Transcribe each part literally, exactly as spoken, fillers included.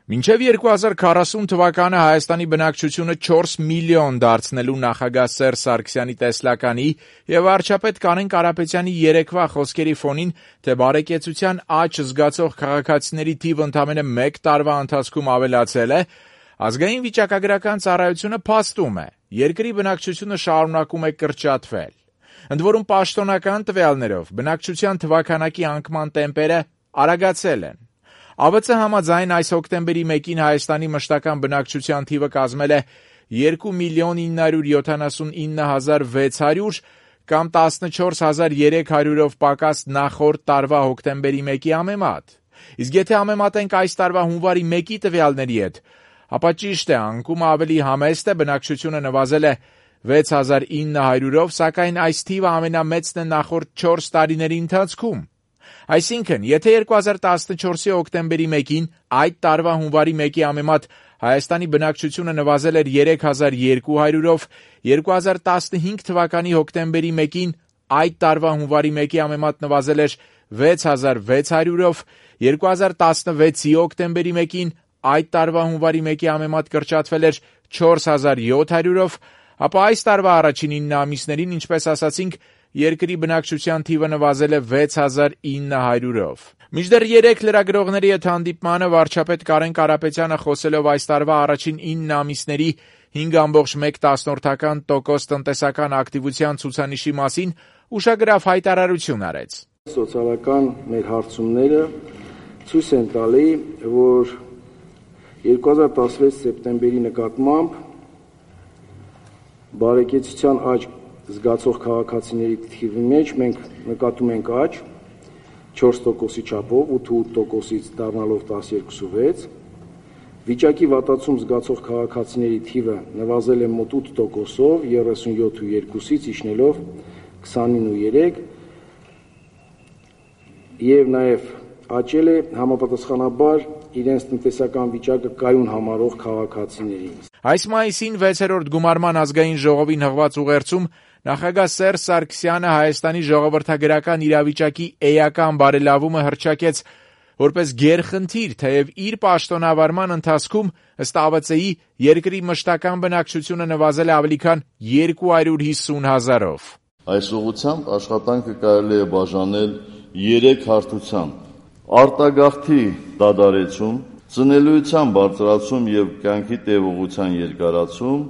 Մինչև երկու հազար քառասուն թվականը Հայաստանի բնակչությունը չորս միլիոն դարձնելու նախագահ Սերժ Սարգսյանի տեսլականի և վարչապետ Կարեն Կարապետյանի երեկվա խոսքերի ֆոնին, թե բարեկեցության աճ զգացող քաղաքացիների թիվը ընդամենը մեկ տարվա ընթացքում ավելացել է, ազգային վիճակագրական ծառայությունը փաստում է. երկրի բնակչությունը շարունակում է կրճատվել։ Ընդ որում պաշտոնական տվյալներով բնակչության թվաքանակի անկման տեմպերը արագացել են։ Ա V Ց համաձայն այս հոկտեմբերի մեկին Հայաստանի մշտական բնակչության թիվը կազմել է երկու միլիոն ինը հարյուր յոթանասունինը հազար վեց հարյուր կամ տասնչորս հազար երեք հարյուրով պակաս նախորդ տարվա հոկտեմբերի մեկի համեմատ։ Իսկ եթե համեմատենք այս տարվա հունվարի մեկի տվյալների հետ, ապա ճիշտ է, անկումը ավելի համեստ է, բնակչությունը նվազել է վեց հազար ինը հարյուրով, սակայն այս թիվը ամենամեծն է նախորդ չորս տարիների ընթացքում։ Այսինքն, եթե երկու հազար տասնչորսի հոկտեմբերի մեկին այդ տարվա հունվարի մեկի համեմատ Հայաստանի բնակչությունը նվազել էր երեք հազար երկու հարյուրով, երկու հազար տասնհինգ թվականի հոկտեմբերի մեկին այդ տարվա հունվարի մեկի համեմատ նվազել էր վեց հազար վեց հարյուրով, երկու հազար տասնվեցի հոկտեմբերի մեկին այդ տարվա հունվարի մեկի համեմատ կրճատվել էր չորս հազար յոթ հարյուրով, ապա այս տարվա առաջին ինը ամիսներին, ինչպես ասացինք, երկրի բնակչության թիվը նվազել է վեց հազար ինը հարյուրով։ Մինչդեռ երեք լրագրողների հետ հանդիպմանը վարչապետ Կարեն Կարապետյանը խոսելով այս տարվա առաջին ինը ամիսների հինգ ամբողջ մեկ տոկոս տնտեսական ակտիվության ցուցանիշի մասին ուշագրավ հայտարարություն արեց։ Սոցիալական մեր հարցումները ցույց են տալի, որ երկու հազար տասնվեց սեպտեմբերի նկատմամբ բարեկեցության աճ զգացող քաղաքացիների թիվի մեջ մենք նկատում ենք աճ չորս տոկոսի չափով, ութ տոկոսից դառնալով տասներկու վեց, վիճակի վատացում զգացող քաղաքացիների թիվը նվազել է մոտ ութ տոկոսով, երեսունյոթ ու երկուսից իջնելով քսանինը ու երեք, եւ նաեւ աճել է համապատասխանաբար իրենց տնտեսական վիճակը կայուն համարող քաղաքացիների։ Այս մայիսին վեցերորդ գումարման ազգային ժողովին հղված ուղերձում նախագահ Սերժ Սարգսյանը Հայաստանի ժողովրդագրական իրավիճակի էական բարելավումը հռչակեց որպես գերխնդիր, թեև իր պաշտոնավարման ընթացքում ըստ Ա V Ց-ի երկրի մշտական բնակչությունը նվազել է ավելի քան երկու հարյուր հիսուն հազարով։ Այս ուղղությամբ աշխատանքը կարելի է բաժանել երեք հարթության. արտագաղթի դադարեցում, ծնելիության բարձրացում եւ կյանքի տևողության երկարացում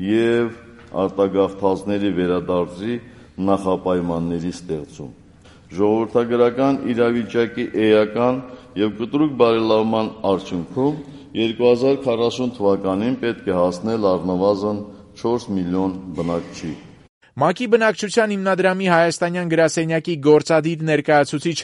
եւ արտագաղթածների վերադարձի նախապայմանների ստեղծում։ Ժողովրդագրական իրավիճակի էական եւ կտրուկ բարելավման արդյունքում երկու հազար քառասուն թվականին պետք է հասնել առնվազն չորս միլիոն բնակչի։ ՄԱԿ-ի բնակչության հիմնադրամի հայաստանյան գրասենյակի գործադիր ներկայացուցիչ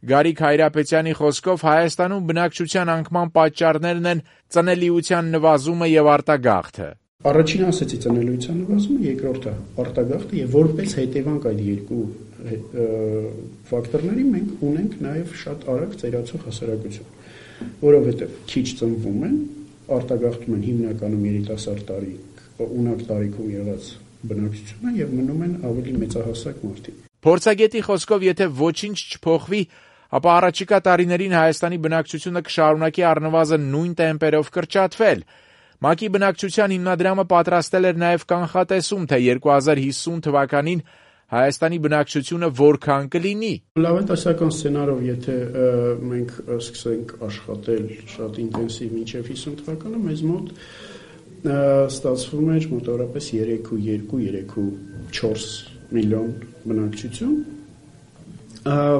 Գարիկ Հայրապետյանի խոսքով Հայաստանում բնակչության անկման պատճառներն են ծնելիության նվազումը եւ արտագաղթը։ Առաջինը ասեցի ծնելիության նվազումը, երկրորդը արտագաղթը եւ որպես հետևանք այդ երկու ֆակտորների մենք ունենք նաեւ շատ արագ ծերացող հասարակություն, որովհետեւ քիչ ծնվում են, արտագաղթում են հիմնականում երիտասարդ տարիք, ունակ տարիքում եղած բնակչությունը եւ մնում են ավելի մեծահասակ մարդիկ։ Փորձագետի խոսքով, եթե ոչինչ չփոխվի, ապա առաջիկա տարիներին Հայաստանի բնակչությունը կշարունակի առնվազն նույն տեմպերով կրճատվել։ ՄԱԿ-ի բնակչության հիմնադրամը պատրաստել էր նաև կանխատեսում, թե երկու հազար հիսուն թվականին Հայաստանի բնակչությունը որքան կլինի։ Լավատեսական սցենարով, եթե մենք սկսենք աշխատել շատ ինտենսիվ մինչև հիսուն թվականը, մեզ մոտ ստացվում էր մոտավորապես երեք ու երկու, երեք ու չորս միլիոն բնակչություն,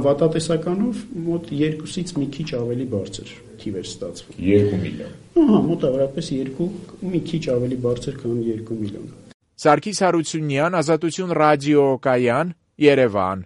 վատատեսականով մոտ երկուսից մի քիչ ավելի բարձր թիվ էր ստացվում։ Երկու միլիոն։ Ահա, մոտավորապես երկու, մի քիչ ավելի բարձր, քան երկու միլիոն։ Սարգիս Հարությունյան, Ազատություն ռադիոկայան, Երևան։